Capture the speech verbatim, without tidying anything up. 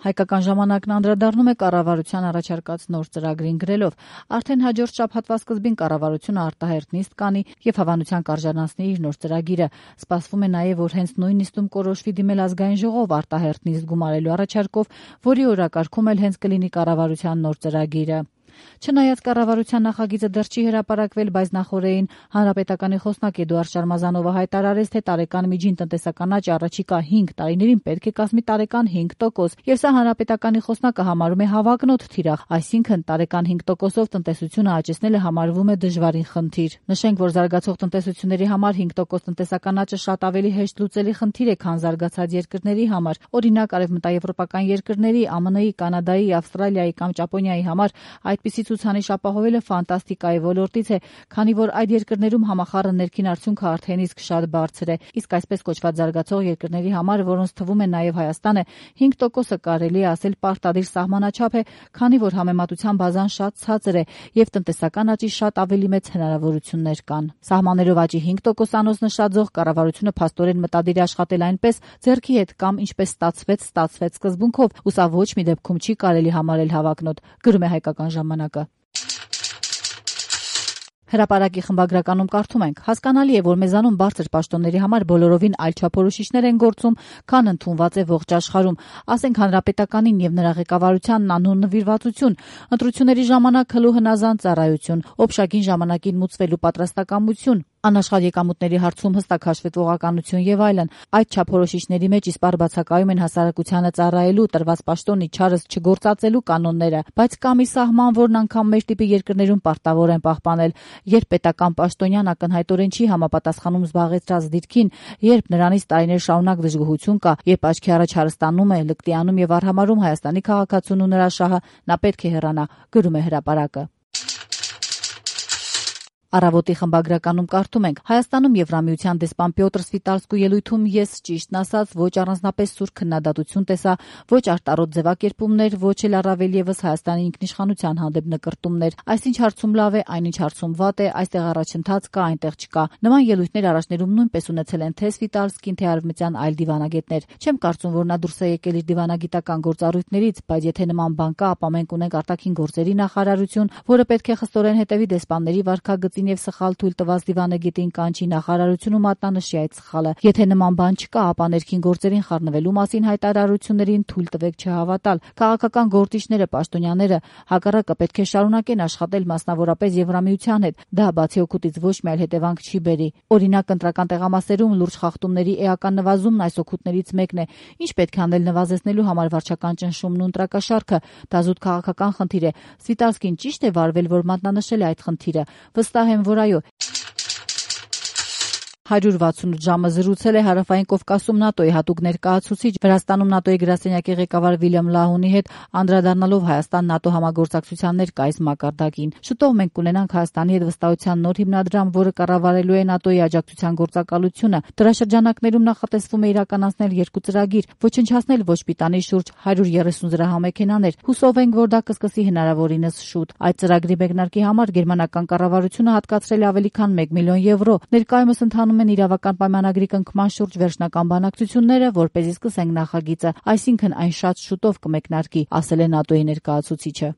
Հայկական ժամանակն անդրադառնում է կառավարության առաջարկած նոր ծրագրին գրելով. արդեն հաջորդ շաբաթվա սկզբին կառավարությունը արտահերթ նիստ կանի եւ հավանության կարժանացնի իր նոր ծրագիրը։ Սպասվում է նաեւ, որ հենց նույն նիստում կորոշվի դիմել ազգային ժողով արտահերթ նիստ գումարելու առաջարկով, որի օրակարգում էլ հենց կլինի կառավարության նոր ծրագիրը։ Չնայած կառավարության նախագիծը դեռ չի հրապարակվել, բայց նախօրեին հանրապետականի խոսնակ Էդուարդ Շարմազանովը հայտարարեց, թե տարեկան միջին տնտեսական աճը առաջիկա հինգ տարիներին պետք է կազմի տարեկան հինգ տոկոս, եւ սա հանրապետականի խոսնակը համարում է հավակնոտ թիրախ, այսինքն տարեկան հինգ տոկոսով տնտեսությունը աճեցնելը համարվում է դժվարին խնդիր։ Նշենք, որ զարգացող տնտեսությունների համար հինգ տոկոս տնտեսական աճը շատ ավելի հեշտ լուծելի խնդիր է, քան զարգացած երկրների համար։ Օրինակ, արևմտաեվրոպական երկրների, ԱՄՆ-ի, Կանադայի, Ավստրալիայի կամ Ճապոնիայի համար այդպիսի ցուցանիշ ապահովելը ֆանտաստիկայի ոլորտից է, քանի որ այդ երկրներում համախառն ներքին արդյունքը արդեն իսկ շատ բարձր է։ Իսկ այսպես կոչված զարգացող երկրների համար, որոնց թվում է նաև Հայաստանը, հինգ տոկոսը կարելի է ասել պարտադիր սահմանաչափ է, քանի որ համեմատության բազան շատ ցածր է եւ տնտեսական աճի շատ ավելի մեծ հնարավորություններ կան։ Սահմաններով աճի հինգ տոկոսանոց նշաձող կառավարությունը փաստորեն մտադիր է աշխատել այնպես ձեռքի հետ կամ ինչպես ստացվեց, ստացվեց սկզբունքով, ու սա ոչ մի դեպքում չի կարելի համարել հավակնոտ, գրում է Հայկական ժամանակը։ Հրապարակի խմբագրականում կարդում ենք. հասկանալի է, որ մեզանում բարձր պաշտոնների համար բոլորովին այլ չափորոշիչներ են գործում, քան ընդունված է ողջ աշխարհում, ասենք հանրապետականին եւ նրա ղեկավարությանն անուն նվիրվածություն, ընտրությունների ժամանակ հլու հնազանդ ծառայություն, օբշագին ժամանակին մուծվելու պատրաստակամություն, անաշխատ եկամուտների հարցում հստակ հաշվետվողականություն եւ այլն։ Այդ չափորոշիչների մեջ իսպառ բացակայում են հասարակությանը ծառայելու, տրված պաշտոնի չարս չգործածելու կանոնները, բայց կա մի սահման, որն անգամ մեր տիպի երկրներում պարտավոր են պահպանել, երբ պետական պաշտոնյան ակնհայտորեն չի համապատասխանում զբաղեցրած դիրքին, երբ նրանից տարիներ շարունակ դժգոհություն կա, երբ աչքի առաջ հարստանում է, լկտիանում եւ արհամարհում Հայաստանի քաղաքացուն ու նրա շահը, նա պետք է հեռանա, գրում է հրապարակը։ Առավոտի խմբագրականում կարդում ենք. Հայաստանում Եվրամիության դեսպան Պյոտր Սվիտալսկու ելույթում ես ճիշտն ասած ոչ առանձնապես սուր քննադատություն տեսա, ոչ արտարոտ ձևակերպումներ, ոչ էլ առավել եւս Հայաստանի ինքնիշխանության հանդեպ նկրտումներ։ Այսինչ հարցում լավ է, այնինչ հարցում վատ է, այստեղ առաջընթաց կա, այնտեղ չկա։ Նման ելույթներ առաջներում նույնպես ունեցել են թե Սվիտալսկին, թե արևմտյան այլ դիվանագետներ։ Չեմ կարծում, որ նա դուրս է եկել իր դիվանագիտական գործառույթներից, բայց եթե նման բան կա, ապա մենք ունենք արտաքին գործերի նախարարություն, որը պետք է խստորեն հետևի դեսպանների վարքագծին եւ սխալ թույլ տված դիվանագետին կանչի նախարարությունում մատնանշի այդ սխալը։ Եթե նման բան չկա, ապա ներքին գործերին խառնվելու մասին հայտարարություններին թույլ տվեք չհավատալ։ Քաղաքական գործիչները, պաշտոնյաները հակառակը պետք է շարունակեն աշխատել մասնավորապես Եվրամիության հետ։ Դա բացի օգուտից ոչ մի այլ հետևանք չի բերի։ Օրինակ, ընտրական տեղամասերում լուրջ խախտումների էական նվազումն այս օգուտներից մեկն է։ Ինչ պետք է անել նվազեցնելու համար վարչական ճնշումն ու ընտրակաշառքը։ Դա զուտ քաղաքական խնդիր է։ Սվիտալսկին ճիշտ է վարվել, որ մատնանշել է այդ խնդիրը։ Վստահ եմ, որ այո։ հարյուր վաթսունութ ժամը զրուցել է Հարավային Կովկասում ՆԱՏՕ-ի հատուկ ներկայացուցիչ, Վրաստանում ՆԱՏՕ-ի գրասենյակի ղեկավար Վիլյամ Լահունի հետ, անդրադառնալով Հայաստան-ՆԱՏՕ համագործակցության ներկայիս մակարդակին։ Շուտով մենք կունենանք Հայաստանի հետ վստահության նոր հիմնադրամ, որը կառավարելու է ՆԱՏՕ-ի աջակցության գործակալությունը։ Դրա շրջանակներում նախատեսվում է իրականացնել երկու ծրագիր, ոչնչացնել ոչ պիտանի շուրջ հարյուր երեսուն զրահամեքենաներ։ Հուսով ենք, որ դա կսկսի հնարավորինս շուտ։ Այդ ծրագրի մեկնարկի համար գերմանական կառավարությունը հատկացրել է ավելի քան մեկ միլիոն եվրո։ Ներկայումս ընթանում են իրավական պայմանագրի կնքման շուրջ վերջնական բանակցությունները, որպեսզի սկսենք նախագիծը, այսինքն այն շատ շուտով կմեկնարկի, ասել է ՆԱՏՕ-ի ներկայացուցիչը։